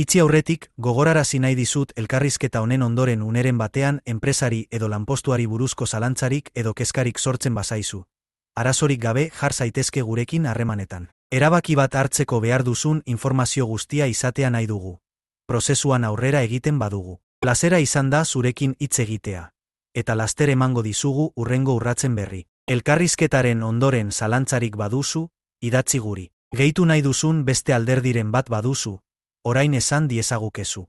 Itzi aurretik, gogorarazi nahi dizut elkarrizketa honen ondoren uneren batean enpresari edo lanpostuari buruzko zalantzarik edo kezkarik sortzen bazaizu. Arazorik gabe jar zaitezke gurekin harremanetan. Erabaki bat hartzeko behar duzun informazio guztia izatea nahi dugu. Prozesuan aurrera egiten badugu. Plazera izan da zurekin hitz egitea. Eta laster emango dizugu hurrengo urratzen berri. Elkarrizketaren ondoren zalantzarik baduzu, idatzi guri. Gehitu nahi duzun beste alderdiren bat baduzu, orain esan diezagukezu.